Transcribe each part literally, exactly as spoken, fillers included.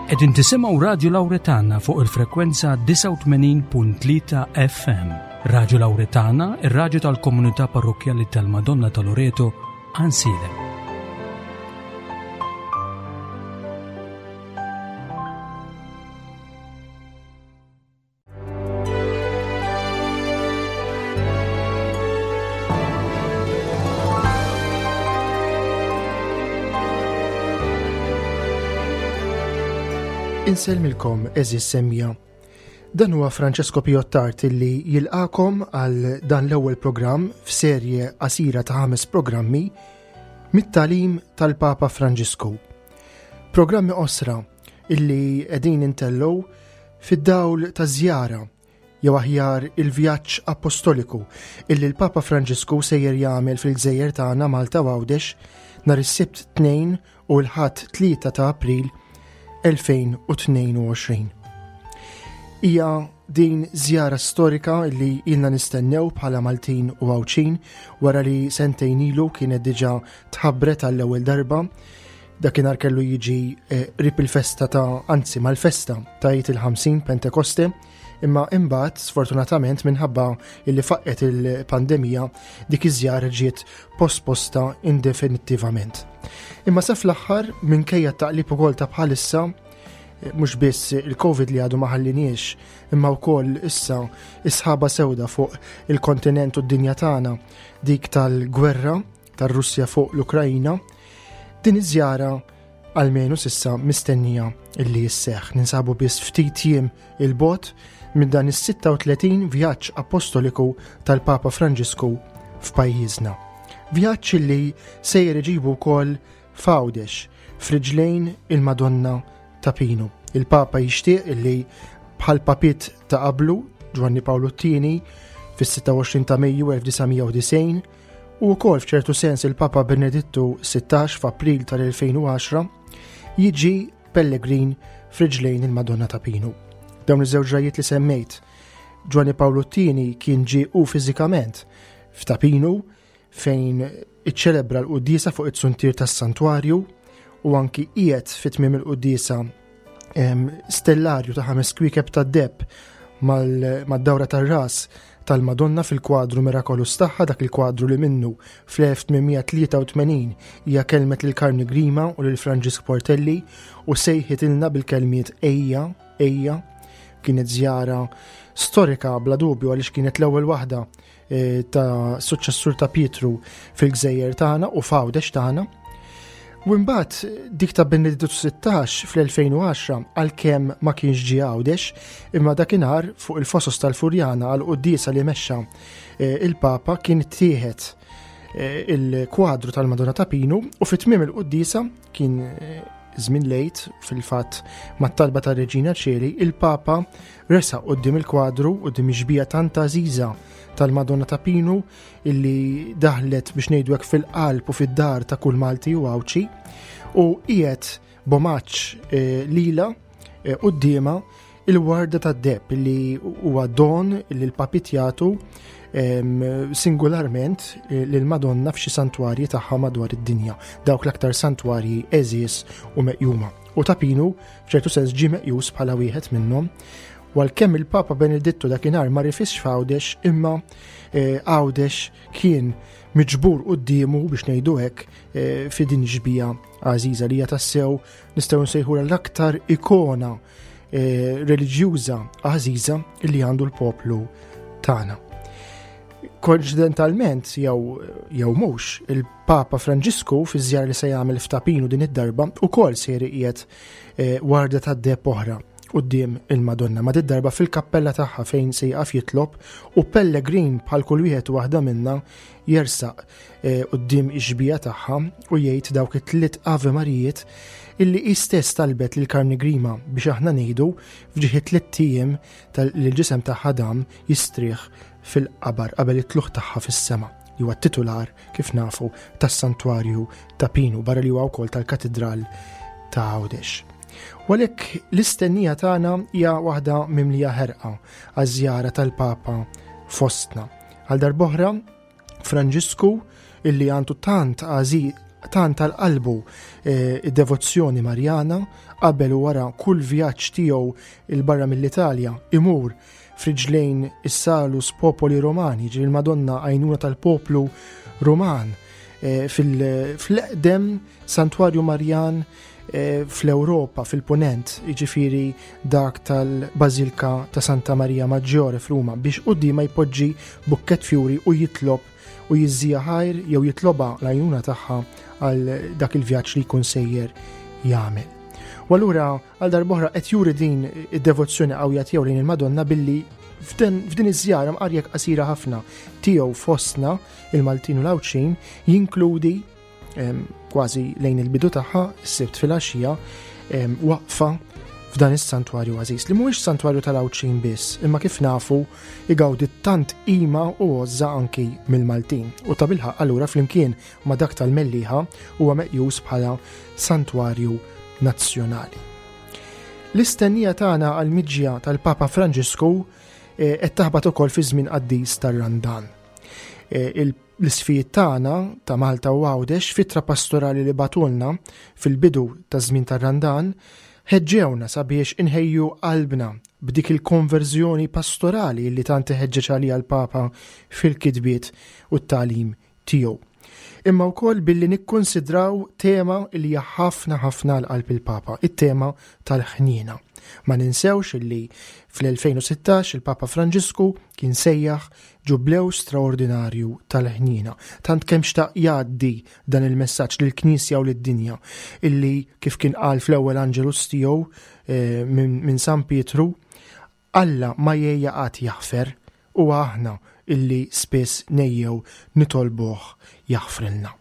Qegħdin tisimgħu Radju Lawretana fuq il-frekwenza disgħa u tmenin punt tlieta F M. Radju Lawretana, ir-radju tal-Komunità Parrokkjali tal-Madonna ta' Loreto, Għajnsielem. Insellmilkom, għeżież semmiegħa. Dan huwa Francesco Piottart illi jilqagħkom għal dan l-ewwel programm f'serje qasira ta' ħames programmi mit-tagħlim tal-Papa Franġisku. Programmi qosra illi qegħdin intellgħu fid-dawl ta' żjara, jew aħjar il-vjaġġ apostoliku illi l-Papa Franġisku sejjer jagħmel fil-gżejjer tagħna Malta u Għawdex nhar is-Sibt tnejn u l-Ħadd tlieta ta' April elfejn u tnejn u għoxrin. Hija din żjara storika li ilna nistennew bħala Maltin u Għawdxin wara li sentejn ilu kienet diġà tħabbret għall-ewwel darba. Dakinhar kellu jiġi eh, qrib il-festa ta', anzi, mal-festa ta' Għid il-ħamsin, Pentekoste, imma imbagħad sfortunatament minħabba illi faqqet il-pandemija dik iż-żjara ġiet posposta indefinittivament. Imma sa fl-aħħar, minkejja taqlib ukoll ta' bħalissa, eh, mhux biss il-Covid li għadu ma ħalliniex, imma wkoll issa is-sħaba sewda fuq il-kontinent u d-dinja tagħna, dik tal-gwerra tar-Russja fuq l-Ukrajina, din iż-żjara almenu s'issa mistennija illi jisseħ. Ninsabu biss ftit jiem 'il bogħod minn dan is-sitta u tletin vjaġġ apostoliku tal-Papa Franġisku f'pajjiżna. Vjaġġ illi sejjer iġibu wkoll f'Għawdex, f'riġlejn il-Madonna ta' Pinu. Il-Papa jixtieq illi bħal papiet ta' qablu, Ġwanni Pawlu t-tieni fis-sitta u għoxrin ta' Mejju elf disa' mija u disgħin u wkoll f'ċertu sens il-Papa Benedittu sittax f'April tal-elfejn u għaxra, jiġi pellegrin f'riġlejn il-Madonna ta' Pinu. Dawn iż-żewġ ġrajiet li semmejt, Ġwanni Pawlu t-tieni kien ġie u fiżikament f'Ta' Pinu fejn iċċelebra l-quddiesa fuq it-suntier tas-santwarju u anki qiegħed fit tmiem il-quddiesa stellarju ta' ħames kwiekeb tad-deheb mad-dawra tar-ras tal-Madonna fil-kwadru mirakolus tagħha, dak il-kwadru li minnu fl-elf tmien mija tlieta u tmenin hija kelmet lil Karmni Grima u lil Franġisk Portelli u sejħitilna bil-kelmiet "Ejja, ejja". Kienet żjara storika bla dubju għaliex kienet l-ewwel waħda eh, ta' suċċessur ta' Pietru fil-gżejjer tagħna u f'Għawdex tagħna. U mbagħad dik ta' Benedittu sittax fl-elfejn u għaxra, għalkemm ma kienx ġie Għawdex, imma dakinhar fuq il-fosos tal-Furjana għal quddiesa li mexxa eh, il-Papa kien tieħed eh, il-kwadru tal-Madonna ta' Pinu u fit tmiem il-quddiesa, kien eh, żmien l-Għid fil-fatt, mat-talba ta' Reġina Ċeli, il-Papa resaq quddiem il-kwadru, quddiem ix-xbieha tant għażiża tal-Madonna ta' Pinu illi daħlet, biex ngħidu hekk, fil-qalb u fid-dar ta' kull Malti u Għawdxi, u qiegħed b'omaġġ eh, lila eh, quddiemha il-warda tad-deheb li huwa don li l-papiet jagħtu singularment eh, lil-Madonna f'xi santwarji tagħha madwar id-dinja, dawk l-aktar santwarji għeżież u meqjuma. U Ta' Pinu f'ċertu sens ġie meqjus bħala wieħed minnhom. U għalkemm il-Papa Benedittu dakinhar ma rifisx f'Għawdex, imma eh, Għawdex kien miġbur quddiemu, biex ngħidu hekk, eh, fi din ix-xbieha għażiża li hija tassew nistgħu nsejħu l-aktar ikona eh, reliġjuża għażiża li għandu l-poplu tagħna. Koincidentalment jew jew mhux, il-Papa Franġisku fi żjara li se jagħmel f'Ta' Pinu din id-darba ukoll se jqiegħed warda tad-deheb oħra quddiem il-Madonna, ma darba fil-kappella tagħha fejn se jaqaf jitlob u pellegrin bħal kull wieħed u waħda minna jersaq eh, quddiem ix-xbieha tagħha u jgħid dawk it-tliet Ave Marijiet illi hi stess talbet lil Karmni Grima biex aħna ngħidu f'ġieħ tliet ijiem tal-ġisem tagħha dam jistrieħ fil-qabar qabel it-tlugħ tagħha fis-sema, li huwa titular, kif nafu, tas-santwarju ta' Pinu, barra li huwa wkoll tal-Katedral ta' Għawdex. U għalhekk l-istennija tagħna hija waħda mimlija ħerqa għaż-żjara tal-Papa fostna. Għal darb'oħra, Franġisku illi għandu tant tant għal qalbu eh, id-devozzjoni Marjana, qabel u wara kull vjaġġ tiegħu 'il barra mill-Italja imur f'riġlejn is-Salus Popoli Romani, ġifieri il-Madonna għajnuna tal-poplu Roman, eh, fil-eqdem santwarju Marjan eh, fl-Ewropa, fil-Punent, jiġifieri dak tal-Bażilka ta' Santa Maria Maggiore f'Ruma, biex quddiemha jpoġġi bukkett fjuri u jitlob u jiżżiha ħajr jew jitlobha l-għajnuna tagħha għal dak il-vjaġġ li jkun sejjer jagħmel. U allura għal darb'oħra qed juri din id-devozzjoni qawwija tiegħu lejn il-Madonna billi f'din iż-żjara mqarjek qasira ħafna tiegħu fostna il-Maltin u l-Għawdxin jinkludi kważi lejn il-bidu tagħha s-Sibt filgħaxija waqfa f'dan is-santwarju għażiż li mhuwiex santwarju tal-Għawdxin biss, imma kif nafu igawdi tant qima u għożża anki mill-Maltin. U tabilħaqq allura flimkien ma' dak tal-Mellieħa huwa meqjus bħala santwarju nazzjonali. L-istennija tagħna għall-miġja tal-Papa Franġisku eh, qed taħbat ukoll fi żmien qaddis tar-Randan. Eh, l-isqfijiet tagħna ta' Malta u Għawdex f'ittra pastorali li bagħtulna fil-bidu ta' żmien tar-Randan ħeġġewna sabiex inħejju qalbna b'dik il-konverżjoni pastorali li tant iħeġġeġ għaliha l-Papa fil-kitbiet u t-tagħlim tiegħu. Imma wkoll billi nikkonsidraw tema li hija ħafna ħafna għal qalb il-Papa, it-tema tal-ħniena. Ma ninsewx illi fl-elfejn u sittax il-Papa Franġisku kien sejjaħ ġublew straordinarju tal-ħniena. Tant kemm xtaq jgħaddi dan il-messaġġ lill-Knisja u lid-dinja illi kif kien qal fl-ewwel Angelus tiegħu, eh, minn, minn San Pietru, Alla ma jgħejja qatt jaħfer u aħna illi spiss nejjew nitolbuh jaħfrilna.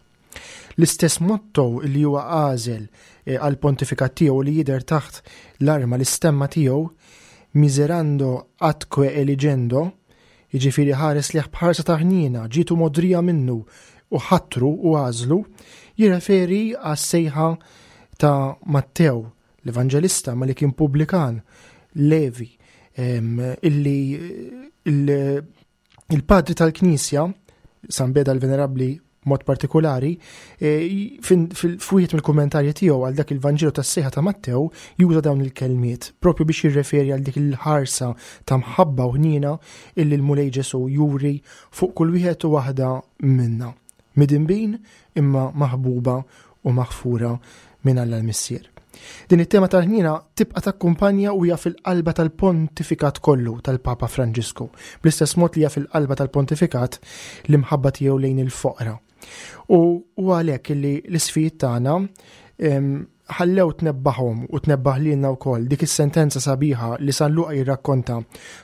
L-istess motto li huwa għażel, eh, għal pontifikat tiegħu li jidher taħt l-arma l-istemma tiegħu, miserando atque eligendo, jiġifieri ħares liħ bħarsa ta' ħniena, ġitu modrija minnu u ħatru u għażlu, jirreferi għas-sejħa ta' Mattew, l-Evanġelista, ma li kien pubblikan, Levi, em, illi il-, il-padri tal-Knisja, San Beda l-Venerabbli mod partikolari, e, fin-, fil-, f'wieħed mill-kummentarji tiegħu għal dak il-Vanġelu tas-sejħa ta' Mattew juża dawn il-kelmiet propju biex jirreferi għal dik il-ħarsa ta' mħabba u ħniena illi l-Mulej Ġesu juri fuq kull wieħed u waħda minna. Midinbin imma maħbuba u maħfura minn Alla l-Missier. Din it-tema tal-ħniena tibqa' takkumpanja u hija fil-qalba tal-pontifikat kollu tal-Papa Franġisku, bl-istess mod li hija fil-qalba tal-pontifikat l-imħabba tiegħu lejn il-foqra. U, u għalhekk illi l-isfijiet tagħna, em, ħallew tnebbaħhom u tnebbaħ lilna wkoll dik is-sentenza sabiħa li San Luqa jirrakkonta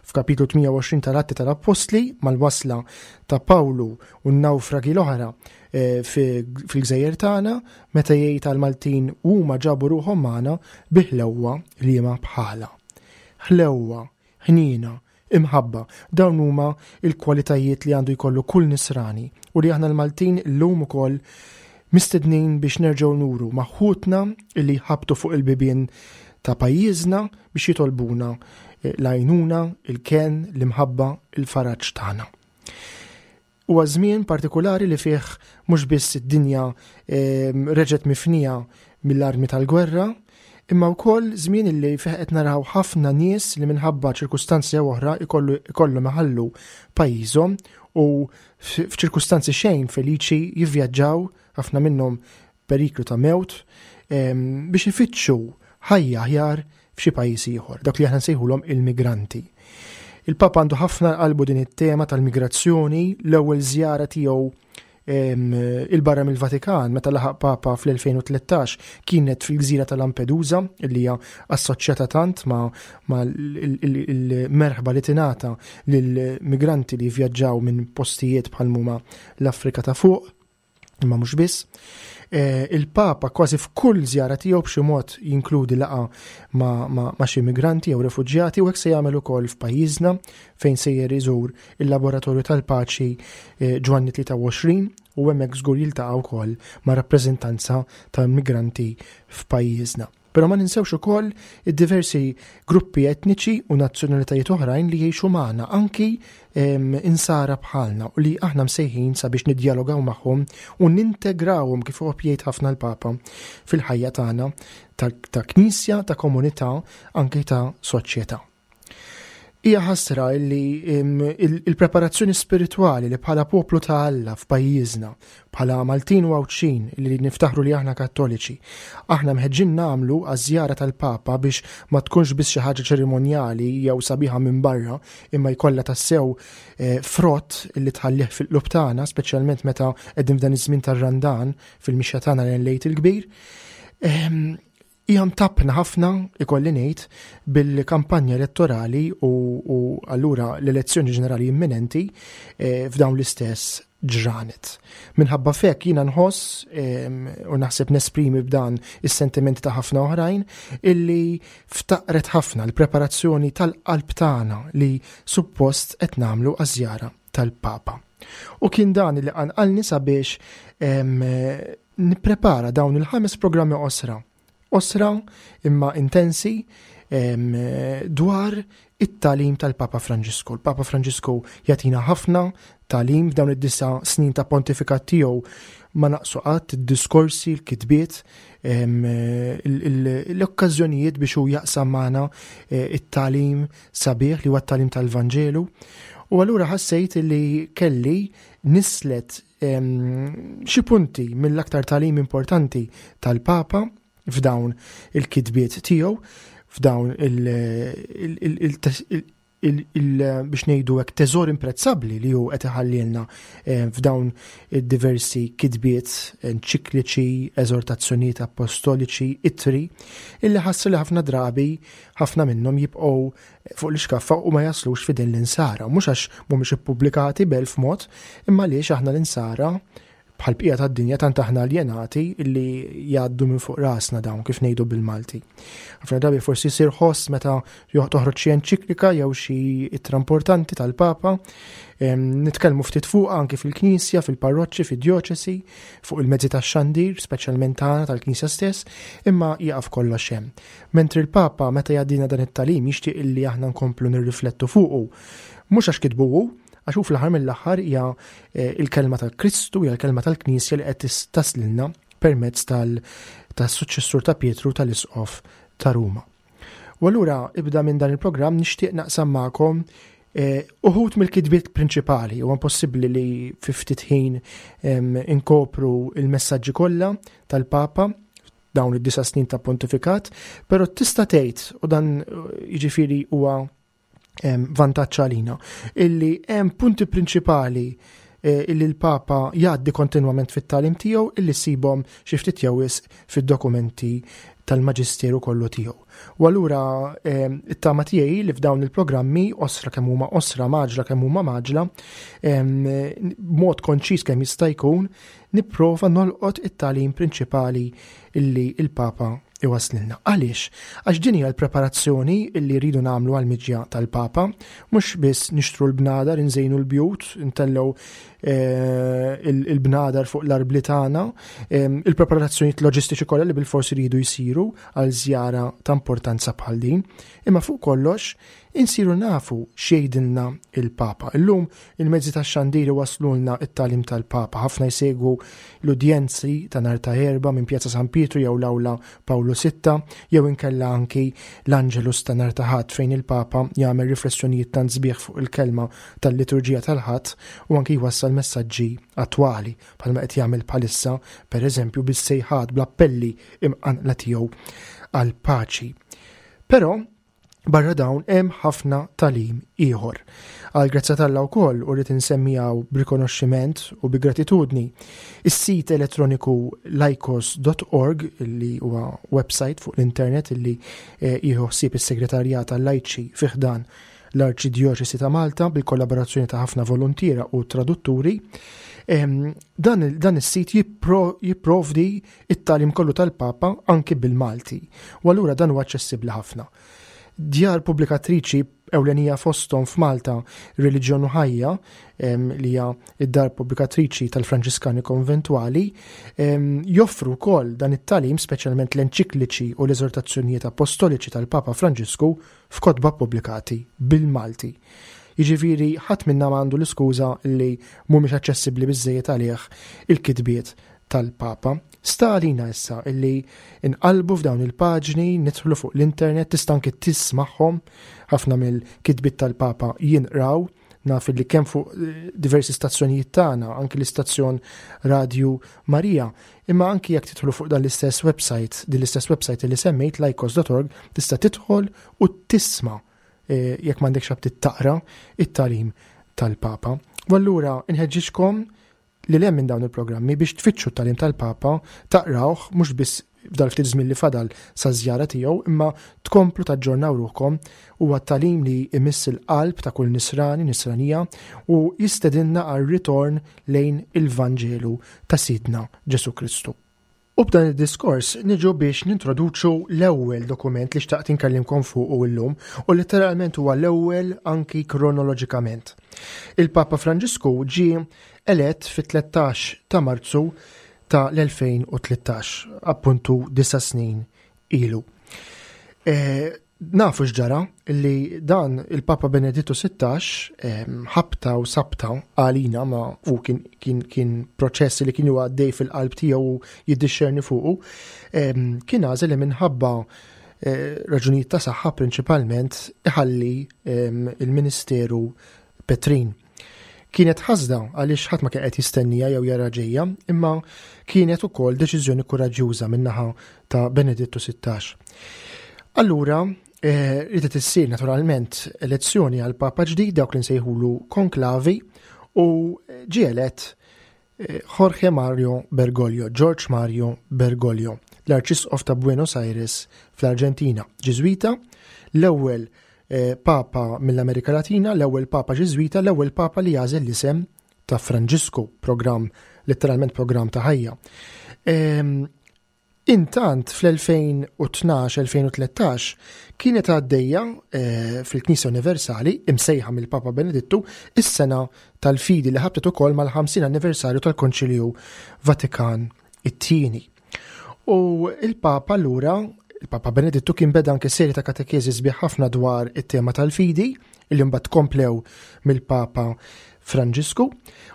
f'kapitlu tmienja u għoxrin tal-Atti tal-Appostli mal-wasla ta' Pawlu u n-nawfragi l-oħra, eh, fi-, fil-gżejjer tagħna meta jgħid għall-Maltin huma ġabu ruħhom magħna bi ħlewwa liema bħala. Ħlewwa, ħniena, imħabba, dawn huma il-kwalitajiet li għandu jkollu kull nisrani u li aħna l-Maltin llum ukoll mistednin biex nerġgħu nuru ma' ħutna li ħabtu fuq il-bibien ta' pajjiżna biex jitolbuna, eh, l-għajnuna, il-ken, l-imħabba, il-faraġ tagħna. Huwa żmien partikolari li fih mhux biss id-dinja, ehm, reġgħet mifnija mill-armi tal-gwerra, imma wkoll żmien li fih qed naraw ħafna nies li minħabba ċirkustanzi jew oħra ikollu, ikollhom iħallu pajjiżhom u f-, f'ċirkustanzi xejn feliċi jivvjaġġaw, ħafna minnhom periklu ta' mewt, em, biex ifittxu ħajja aħjar f'xi pajjiż ieħor, dak li aħna nsejħulhom il-migranti. Il-Papa għandu ħafna qalbu din it-tema tal-migrazzjoni, l-ewwel żjara tiegħu, em, il-barra mill-Vatikan meta laħaq Papa fl-elfejn u tlettax kienet fil-gżira ta' Lampedusa, li hija assoċjata tant ma', ma' l-, il-, il-merħba li tingħata lill-migranti li vjaġġaw minn postijiet bħal huma l-Afrika ta' fuq, imma mhux biss. Eh, il-Papa kważi f'kull żjara tiegħu b'xi mod jinkludi laqgħa ma', ma', ma' xi migranti jew refuġjati, u hekk se jagħmel ukoll f'pajjiżna fejn sejjer iżur il-Laboratorju tal-Paċi, eh, Ġwanni tlieta u għoxrin, u hemmhekk żgur jiltaqa' wkoll ma' rappreżentanza ta' migranti f'pajjiżna. Però ma ninsewx ukoll id-diversi gruppi etniċi u nazzjonalitajiet oħrajn li jgħixu magħna, anki insara bħalna, u li aħna msejħin sabiex nidjalogaw magħhom u nintegrawhom, kif huwa jgħid ħafna l-Papa, fil-ħajja tagħna ta' knisja, ta' komunità, anki ta' soċjetà. Hija ħasra li il-preparazzjoni spiritwali li bħala poplu ta' Alla f'pajjiżna, bħala Maltin u Għawdxin li niftaħru li aħna Kattoliċi, aħna mħeġġin nagħmlu għaż-żjara tal-Papa biex ma tkunx biss xi ħaġa ċerimonjali jew sabiħa minn barra, imma jkollha tassew eh, frott li tħallih fil-qlub tagħna, speċjalment meta qegħdin f'dan iż-żmien tar-Randan fil-mixja tagħna lejn l-Għid il-Kbir. Ehm, hija mtappna ħafna, ikolli ngħid, bil-kampanja elettorali u, u allura l-elezzjoni ġenerali imminenti eh, f'dawn l-istess ġranet. Minħabba fek jiena nħoss u naħseb nesprimi b'dan is-sentimenti ta' ħafna oħrajn illi ftaqret ħafna l-preparazzjoni tal-qalb tagħna li suppost qed nagħmlu għaż-żjara tal-Papa. U kien dan li qanqalni sabiex nipprepara dawn il-ħames programmi qosra. Qosra imma intensi dwar it-tagħlim tal-Papa Franġisku. Il-Papa Franġisku jagħtina ħafna tagħlim f'dawn id-disa' snin ta' pontifikat tiegħu, ma naqsu qatt id-diskorsi, l-kitbiet, l-okkażjonijiet biex hu jaqsam magħna eh, it-tagħlim sabiħ li huwa t-tagħlim tal-Vanġelu. U allura ħassejt li kelli nislet xi punti mill-aktar tagħlim importanti tal-Papa f'dawn il-kitbiet tiegħu, f'dawn il biex ngħidu hekk teżor imprezzabbli li hu qed iħallilna eh, f'dawn id-diversi kitbiet enċikliċi, eżortazzjonijiet apostoliċi, ittri, illi ħassu li ħafna drabi ħafna minnhom jibqgħu fuq l-iskaffa u ma jaslux f'idejn l-insara. Mhux għax mhumiex ippubblikati b'elf mod, imma għaliex aħna l-insara bħal bqija tad-dinja tant aħna aljenati illi jgħaddu minn fuq rasna dawn, kif ngħidu bil-Malti. Ħafna drabi forsi jsir ħoss meta toħroġ xi enċiklika jew xi ittra importanti tal-Papa, nitkellmu ftit fuq anki fil-Knisja, fil-parroċċi, fid-djoċesi, fuq il-mezzi tax-xandir, speċjalment tagħna tal-Knisja stess, imma jaqaf kollox hemm. Mentri l-Papa meta jgħaddina dan it-tagħlim jixtieq illi aħna nkomplu nirriflettu fuqu, mhux għax kitbu hu, għax hu fl-aħħar mill-aħħar hija eh, il-kelma tal-Kristu, hija l-kelma tal-Knisja li qed taslilna permezz tas-suċċessur ta' Pietru, tal-Isqof ta' Ruma. U allura ibda minn dan il-programm nixtieq naqsam magħkom eh, uħud mill-kitbiet prinċipali. Huwa impossibbli li fi ftit ħin inkopru il-messaġġi kollha tal-Papa dawn id-disa' snin ta' pontifikat, però tista' tgħid, u dan jiġifieri huwa vantaġġ għalina, illi hemm punti prinċipali eh, illi l-Papa jgħaddi kontinwament fit-tagħlim tiegħu illi ssibhom xi ftit jew wisq fid-dokumenti tal-Maġisteru kollu tiegħu. U allura it-tama tiegħi li f'dawn il-programmi, qosra kemm huma qosra, mgħaġġla kemm huma mgħaġġla, b'mod konċis kemm jista' jkun, nipprova nolqot it-tagħlim prinċipali illi il-Papa iwaslilna. Għaliex? Għax din hija l-preparazzjoni illi rridu nagħmlu għall-miġja tal-Papa, mhux biss nixtru l-bnadar, inżejnu l-bjut, intellgħu eh, il-bnadar fuq l-arbli tagħna, il-preparazzjonijiet loġistiċi kollha li bil-forsi rridu jsiru għal żjara ta' importanza bħal din, imma fuq kollox insiru nafu x'jgħidilna il-Papa. Illum il-mezzi tax-xandir waslulna it-tagħlim tal-Papa. Ħafna jsegwu l-udjenzi ta' nhar ta' Erbgħa minn Pjazza San Pietru jew l-Awla Pawlu Sitta, jew inkella anki l-Angelus ta' nhar ta' Ħadd fejn il-Papa jagħmel riflessjonijiet tant sbieħ fuq il-kelma tal-liturġija tal-Ħadd u anki jwassal messaġġi attwali bħalma qed jagħmel bħalissa pereżempju bis-sejħat bl-appelli imqanqla tiegħu għall-paċi. Però barra dawn hemm ħafna tagħlim ieħor. Għal grazzja t'Alla wkoll, u rrid insemmijaw b'rikonoxximent u bi gratitudni, is-sit elettroniku laikos dot org, li huwa website fuq l-internet li, eh, jieħu ħsieb is-segretarjat tal-lajċi fi ħdan l-Arċidjoċesi ta' Malta bil-kollaborazzjoni ta' ħafna volontiera u tradutturi. Em, dan il-, dan is-sit jippro-, jipprovdi it-tagħlim kollu tal-Papa anki bil-Malti. U allura dan huwa aċċessibbli ħafna. Djar pubblikatriċi ewlenija fosthom f'Malta, Reliġjon u Ħajja, li hija id-dar pubblikatriċi tal-Franġiskani Konventwali, joffru wkoll dan it-tagħlim, speċjalment l-enċikliċi u l-eżortazzjonijiet apostoliċi tal-Papa Franġisku f'kotba pubblikati bil-Malti. Jiġifieri ħadd minna m'għandu l-iskuża li mhumiex aċċessibbli biżejjed għalih il-kitbiet tal-Papa. Sta għalina issa illi inqalbu f'dawn il-paġni, nidħlu fuq l-internet, tista' anke tismagħhom, ħafna mill-kitbiet tal-Papa jinqraw, naf li kemm fuq diversi stazzjonijiet tagħna, anke l-istazzjon Radju Marija, imma anki jekk tidħlu fuq dan l-istess website, din l-istess website li semmejt, laikos dot org, tista' tidħol u tisma' jekk m'għandekx aptit taqra it-tagħlim tal-Papa. U allura inħeġġiġkom li lem minn dawn il-programmi biex tfittxu t-tagħlim tal-Papa, taqrawh mhux biss f'dal ftit żmien li fadal sa żjara tiegħu, imma tkomplu taġġornaw ruħkom. Huwa tagħlim li imiss il-qalb ta' kull nisrani, nisranija, u jistedinna għal ritorn lejn il-Vanġelu ta' Sidna Ġesu Kristu. U b'dan id-diskors niġu biex nintroduċu l-ewwel dokument li xtaqt inkellimkom fuqu illum, u letteralment huwa l-ewwel anki kronoloġikament. Il-Papa Franġisku ġie elett fit-tlettax ta' Marzu ta' l-elfejn u tlettax, appuntu disa' snin ilu. E, nafu x'ġara li dan il-Papa Benedittu sittax, em, ħabta u sabta għalina, ma u kien, kien, kien proċess li kien huwa għaddej fil-qalb tiegħu u jiddixxerni fuqu, em, kien għażel li minħabba, eh, raġunijiet ta' saħħa prinċipalment iħalli, em, il-Ministeru Petrin. Kienet ħasda għaliex ħadd ma kien qed jistennija jew jara ġejja, imma kienet ukoll deċiżjoni kuraġġjuża min-naħa ta' Benedittu sittax. Allura, eh, ridet issir naturalment elezzjoni għal Papa ġdid, dawk li nsejħulu konklavi, u ġie elett, eh, Jorge Mario Bergoglio, George Mario Bergoglio, l-Arċisqof ta' Buenos Aires fl-Arġentina, Ġiżwita, l-ewwel, eh, Papa mill-Amerika Latina, l-ewwel Papa Ġiżwita, l-ewwel Papa li jagħżel l-isem ta' Franġisku, programm, letteralment programm ta' ħajja. Ehm, intant fl-elfejn u tnax, elfejn u tlettax kienet għaddejja, eh, fil-Knisja Universali, imsejħa mill-Papa Benedittu, is-sena tal-fidi li ħabtet ukoll mal-ħamsin anniversarju tal-Konċilju Vatikan it-tieni. U il-Papa allura, il-Papa Benedittu kien beda anke serje ta' katekeżi sbieħ ħafna dwar it-tema tal-fidi, illi mbagħad komplew mill-Papa Franġisku,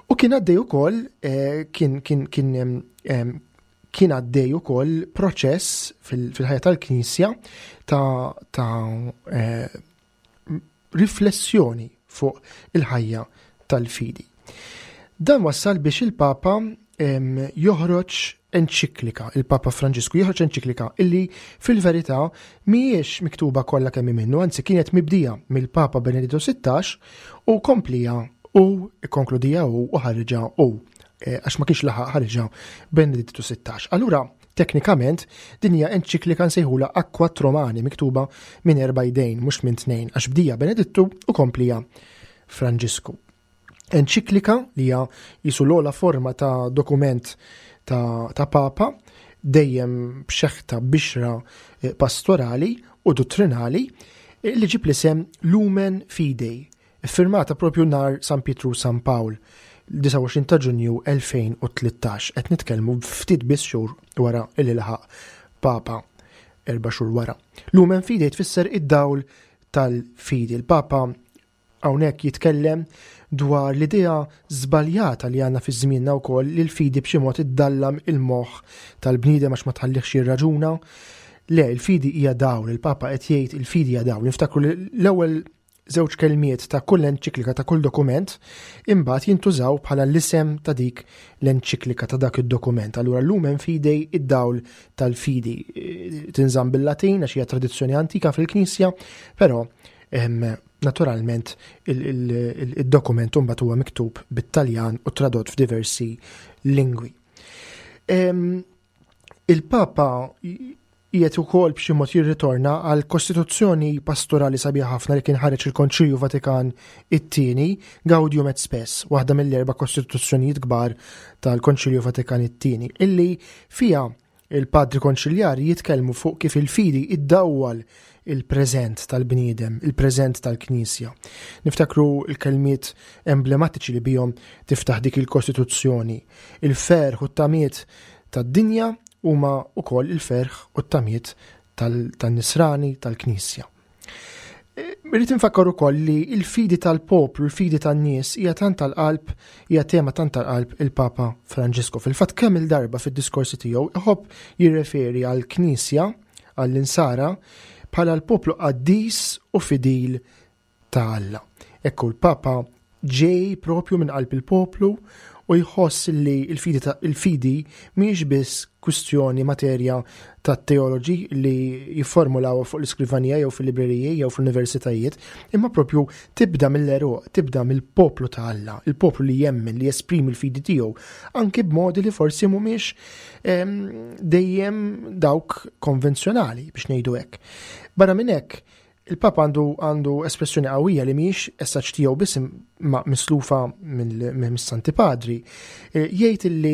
u kien għaddej ukoll, eh, kien, kien, kien, em, em, kien għaddej ukoll proċess fil-, fil-ħajja tal-Knisja ta', ta', eh, riflessjoni fuq il-ħajja tal-fidi. Dan wassal biex il-Papa, em, joħroġ enċiklika, il-Papa Franġisku joħroġ enċiklika illi fil-verità mhijiex miktuba kollha kemm minnu, anzi kienet mibdija mill-Papa Benedittu sittax u komplija u ikkonkludija u ħarġa u, eh, għax ma kienx laħaq ħarġa Benedittu sittax. Allura, teknikament, din hija enċiklika nsejħula a quattro mani, miktuba minn erba' idejn, mhux minn tnejn, għax bdija Benedittu u komplija Franġisku. Enċiklika li hija jisu l-ogħla forma ta' dokument ta', ta' Papa, dejjem b'xeħta bixra, eh, pastorali u dottrinali, eh, li ġib l-isem Lumen Fidei, iffirmata propju nar San Pietru San Pawl, disgħa u għoxrin ta' Ġunju elfejn u tlettax, qed nitkellmu ftit biss xhur wara li laħaq Papa, erba' xhur wara. Lumen Fidei tfisser id-dawl tal-fidi. Il-Papa hawnhekk jitkellem dwar l-idea żbaljata li għandna fi żmienna wkoll li l-fidi b'xi mod iddallam il-moħħ tal-bniedem għax ma tħallihx jirraġuna. Le, il-fidi hija dawl, il-Papa qed jgħid il-fidi hija dawl. Niftakru li l-ewwel żewġ kelmiet ta' kull enċiklika ta' kull dokument imbagħad jintużaw bħala l-isem ta' dik l-enċiklika ta' dak id-dokument. Allura Lumen Fidei, id-dawl tal-fidi, tinżamm bil-Latin għax hija tradizzjoni antika fil-Knisja, però, em, naturalment il-, il-, il-, il-dokument imbagħad huwa miktub bit-Taljan u tradott f'diversi lingwi. Em, il-Papa qiegħed ukoll b'xi mod jirritorna għal kostituzzjoni pastorali sabiħa ħafna li kien ħareġ il-Konċilju Vatikan it-tieni, Gaudium et Spes, waħda mill-erba' kostituzzjonijiet kbar tal-Konċilju Vatikan it-tieni, illi fija Il-padri konċiljari jitkellmu fuq kif il-fidi iddawwal il-preżent tal-bniedem, il-preżent tal-Knisja. Niftakru l-kelmiet emblematiċi li bihom tiftaħ dik il-Kostituzzjoni. Il-ferħ u t-tamiet tad-dinja huma wkoll il-ferħ u t-tamiet tan-nisrani tal-Knisja. Irrid infakkar ukoll li l-fidi tal-poplu, il-fidi tan-nies hija tant tal-qalb, hija tema tant tal-qalb il-Papa Franġisku. Fil-fatt kemm il-darba fid-diskorsi tiegħu iħobb jirreferi għall-Knisja, għall-insara, bħala l-poplu qaddis u fidil ta' Alla. Ekku l-Papa ġej propju minn qalb il-poplu u jħoss li il-fidi, il-fidi mhijiex biss kwistjoni materja ta' teoloġi li jifformulaw fuq l-iskrivanija jew fil-libreriji jew fl-universitajiet, imma propju tibda mill-eruq, tibda mill-poplu ta' Alla, il-poplu li jemmen, li jesprimi l-fidi tiegħu, anki b'modi li forsi mhumiex dejjem dawk konvenzjonali biex ngħidu hekk. Barra minn hekk, il-Papa għandu għandu espressjoni qawwija li mhijiex essaġġ tiegħu biss ma mislufa mill-Santi Padri. Jgħid li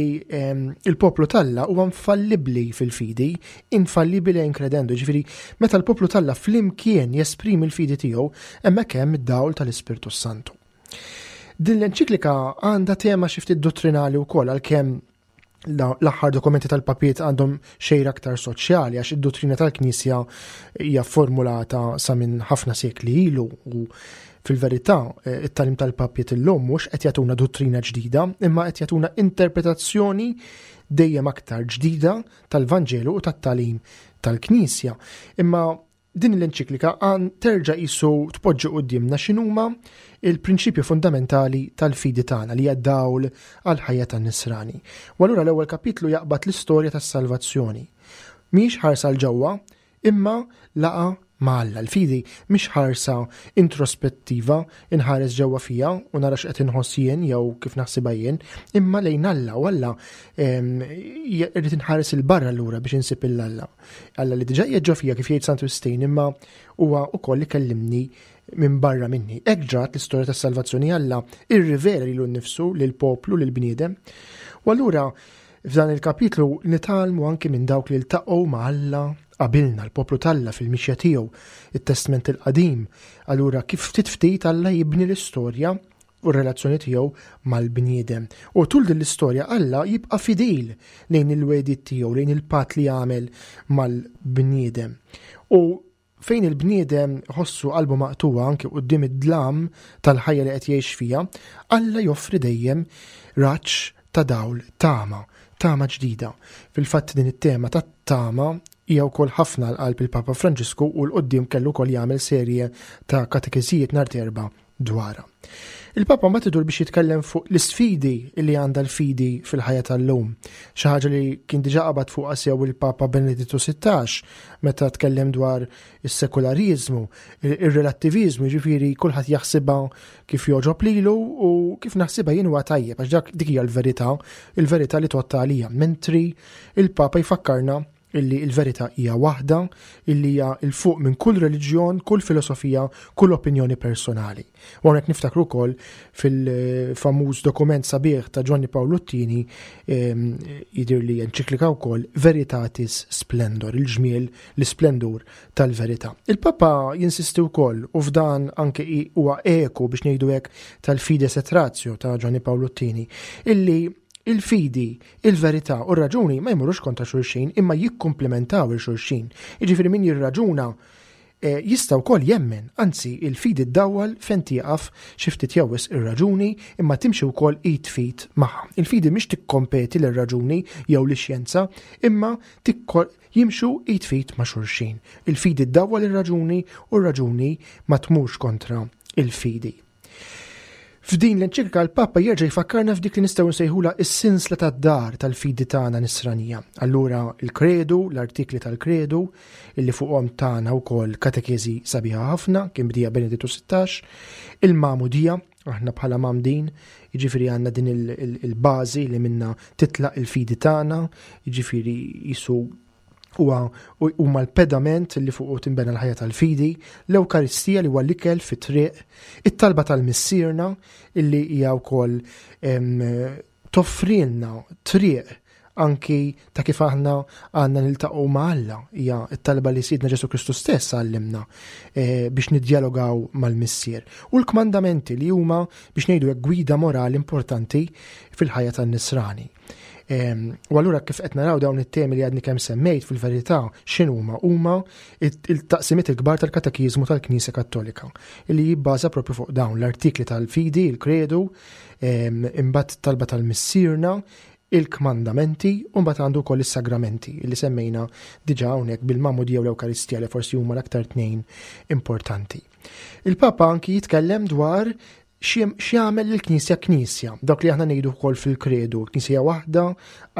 il-poplu t'Alla huwa infallibbli fil-fidi, infallibile in credendo, ġifieri meta l-poplu t'Alla flimkien jesprimi l-fidi tiegħu, hemmhekk hemm id-dawl tal-Ispirtu Santu. Din l-enċiklika għandha tema xi ftit dottrinali wkoll, għalkemm l-aħħar dokumenti tal-papiet għandhom xejra aktar soċjali, għax id-dottrina tal-Knisja hija formulata sa minn ħafna sekli ilu u fil-verità it-tagħlim tal-papiet illum mhux qed jagħtuna dottrina ġdida, imma qed jagħtuna interpretazzjoni dejjem aktar ġdida tal-Vanġelu u tat-tagħlim tal-Knisja. Imma din l-enċiklika għan terġa' qisu tpoġġi quddiemna x'inhuma il-prinċipju fundamentali tal-fidi tagħna li hija dawl għall-ħajja tan-nisrani. U allura l-ewwel kapitlu jaqbad l-istorja tas-salvazzjoni. Mhix ħarsa l ġewwa, imma laqa ma' Alla. L-fidi mhix ħarsa introspettiva, inħares ġewwa fija u nara x'qed inħoss jien jew kif naħsibha jien, imma lejn Alla, u Alla irrid inħares il barra lura biex insib il Alla. Alla li diġà qiegħed ġo fija kif jgħid Santu Wistin, imma huwa wkoll ikellimni minn barra minni. Hekk ġrat l-istorja tas-salvazzjoni, Alla irrivela lilu nnifsu lill-poplu, lill-bniedem. U allura f'dan il-kapitlu nitgħallmu anki minn dawk li ltaqgħu ma' Alla qabilna, l-poplu t'Alla fil-mixja tiegħu, it-Testment il-Qadim. Allura kif ftit ftit Alla jibni l-istorja u r-relazzjoni tiegħu mal-bniedem. U tul din l-istorja Alla jibqa' fidil lejn il-wegħdiet tiegħu, lejn il-patt li jagħmel mal-bniedem. U fejn il-bniedem ħossu qalbu maqtuwa anke quddiem id-dlam tal-ħajja li qed jgħix fiha, Alla joffri dejjem raġġ ta' dawl, tama, tama ġdida. Fil-fatt din it-tema ta' tama hija wkoll ħafna għal qalb il-Papa Franġisku u l-qoddim kellu wkoll jagħmel serje ta' katekeżijiet nhar t'Erbgħa dwarha. Il-Papa mbagħad idur biex jitkellem fuq l-isfidi li għandha l-fidi fil-ħajja tal-lum. Xi ħaġa li kien diġà qabad fuqha sew il-Papa Benedittu sittax meta tkellem dwar is-sekulariżmu, ir-relattiviżmu, jiġifieri kulħadd jaħsibha kif jogħġob lilu u kif naħsibha jien huwa tajjeb, għax dak dik hija l-verità, il-verità li tgħodd għalija. Mentri il-Papa jfakkarna illi il-verità hija waħda, illi hija il fuq minn kull reliġjon, kull filosofija, kull opinjoni personali. U hawnhekk niftakru wkoll fil-famuż dokument sabiħ ta' Giovanni Paolo Tieni, jidher li enċiklika wkoll Veritatis Splendor, il-ġmiel, l-isplendur tal-verità. Il-Papa jinsisti wkoll, u f'dan anke huwa eku biex ngħidu hekk tal-Fides et Ratio ta' Giovanni Paolo Tieni, illi il-fidi, il-verità u r-raġuni ma jmurux kontra xulxin imma jikkumplementaw il xulxin. Jiġifieri min jirraġuna eh, jista' wkoll jemmen, anzi il-fidi ddawwal fejn tieqaf xi ftit jew wisq ir-raġuni imma timxi wkoll id f'id magħha. Il-fidi mhix tikkompeti lir-raġuni jew lix-xjenza, imma tikko-, jimxu id f'id ma' xulxin. Il-fidi ddawwal ir-raġuni u r-raġuni ma tmurx kontra il-fidi. F'din l-enċiklika l-Papa jerġa' jfakkarna f'dik li nistgħu nsejħulha s-sinsla tad-dar tal-fidi tagħna nisranija. Allura il-kredu, l-artikli tal-kredu, illi fuqhom tagħna wkoll katekeżi sabiħa ħafna, kien bdija Benedittu sittax, il-magħmudija, aħna bħala mamdin, jiġifieri għandna din il-, il-, il-bażi li minna titlaq il-fidi tagħna, jiġifieri jisu huwa huma l-pedament li fuqu tinbena l-ħajja tal-fidi, l-Ewkaristija li huwa l-ikel fit-triq, it-talba tal-Missierna illi hija wkoll, em, toffrilna triq anki ta' kif aħna għandna niltaqgħu ma' Alla, hija t-talba li Sidna Ġesù Kristu stess għallimna eh, biex niddjalogaw mal-Missier. U l-kmandamenti li huma biex ngħidu hekk gwida morali importanti fil-ħajja tan-Nisrani. U allura kif qed naraw dawn it-temi li għadni kemm semmejt fil-verità x'inhuma huma il-taqsimiet il-kbar tal-Katekiżmu tal-Knisja Kattolika li jibbaża propju fuq dawn l-artikli tal-fidi, il-kredu, imbagħad talba tal-Missierna, il-kmandamenti u mbagħad għandu wkoll is-sagramenti li semmejna diġà hawnhekk bil-Magħmudija u l-Ewkaristija li forsi huma l-aktar tnejn importanti. Il-Papa anki jitkellem dwar x'jagħmel lill-Knisja Knisja, dak li aħna ngħidu wkoll fil-kredu, Knisja waħda,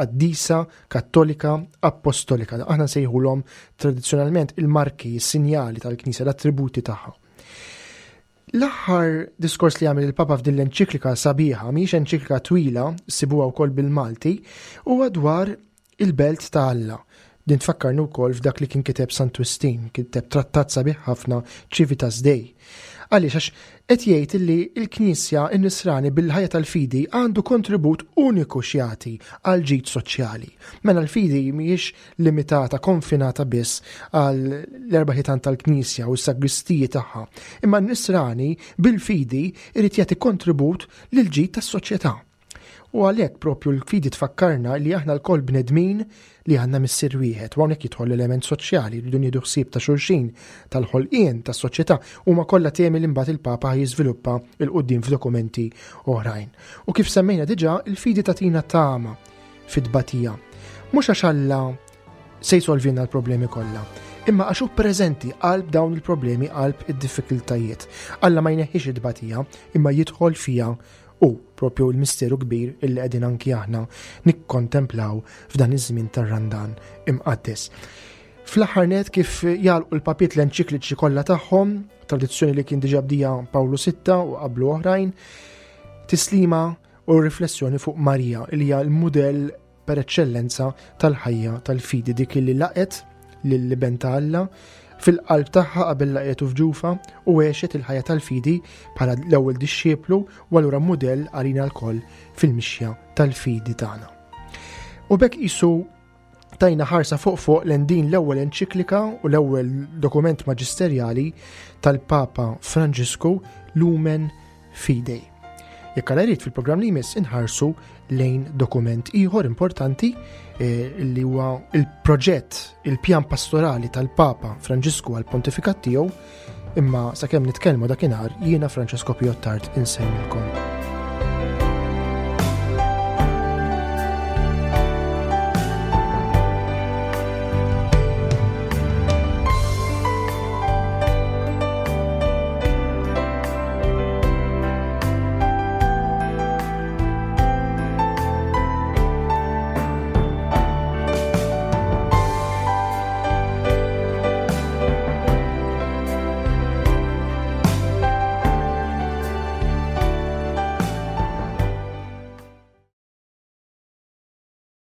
qaddisa, kattolika, appostolika. Aħna nsejħulhom tradizzjonalment il-marki, is-sinjali tal-Knisja, l-attributi tagħha. L-aħħar diskors li għamel il-Papa f'din l-enċiklika sabiħa, mhijiex enċiklika twila, sibuha wkoll bil-Malti, huwa dwar il-belt ta' Alla. Din tfakkarni wkoll f'dak li kien kiteb Sant Wistin, kiteb trattat sabiħ ħafna Civitas Dei. Għaliex għax qed jgħid li l-Knisja n-Nisrani bil-ħajja tal-fidi għandu kontribut uniku x'jagħti għal ġid soċjali. Mela l-fidi mhijiex limitata, konfinata biss għal l-erba' ħitan tal-Knisja u s-sagristiji tagħha, imma n-Nisrani bil-fidi irid jagħti kontribut lil ġid tas-soċjetà. U għalhekk propju l-fidi tfakkarna li aħna lkoll bnedmin li għandna missier wieħed, u hawnhekk jidħol l-element soċjali, rridu nieħdu ħsieb ta' xulxin, tal-ħolqien, tas-soċjetà, huma kollha temi li mbagħad il-Papa jiżviluppa 'l quddiem f'dokumenti oħrajn. U kif semmejna diġà, il-fidi tagħtina tama fit-tbatija. Mhux għax Alla se jsolvina l-problemi kollha, imma għax hu preżenti qalb dawn il-problemi, qalb id-diffikultajiet. Alla ma jneħħix it-tbatija, imma jidħol fiha u propju l-misteru kbir illi qegħdin anki aħna nikkontemplaw f'dan iż-żmien tar-Randan imqaddes. Fl-aħħar net kif jagħlqu l-papiet l-enċikliċi kollha tagħhom, tradizzjoni li kien diġà bdija Pawlu sitta u qablu oħrajn, tislima u riflessjoni fuq Marija li hija l-mudell per eċċellenza tal-ħajja tal-fidi, dik li laqet lill-Iben ta' Alla fil-qalb tagħha qabel laqetu f'ġufa u għexet il-ħajja tal-fidi bħala l-ewwel dixxieplu u allura mudell għalina lkoll fil-mixja tal-fidi tagħna. U b'hekk qisu tajna ħarsa fuq fuq lejn din l-ewwel enċiklika u l-ewwel dokument maġisterjali tal-Papa Franġisku Lumen Fidei. Jekk Alla jrid fil-programm li jmiss inħarsu lejn dokument ieħor importanti, eh, li huwa il-proġett, il-pjan pastorali tal-Papa Franġisku għal pontifikat tiegħu, imma sakemm nitkellmu dakinhar jiena Francesco Pio Attard insellmilkom.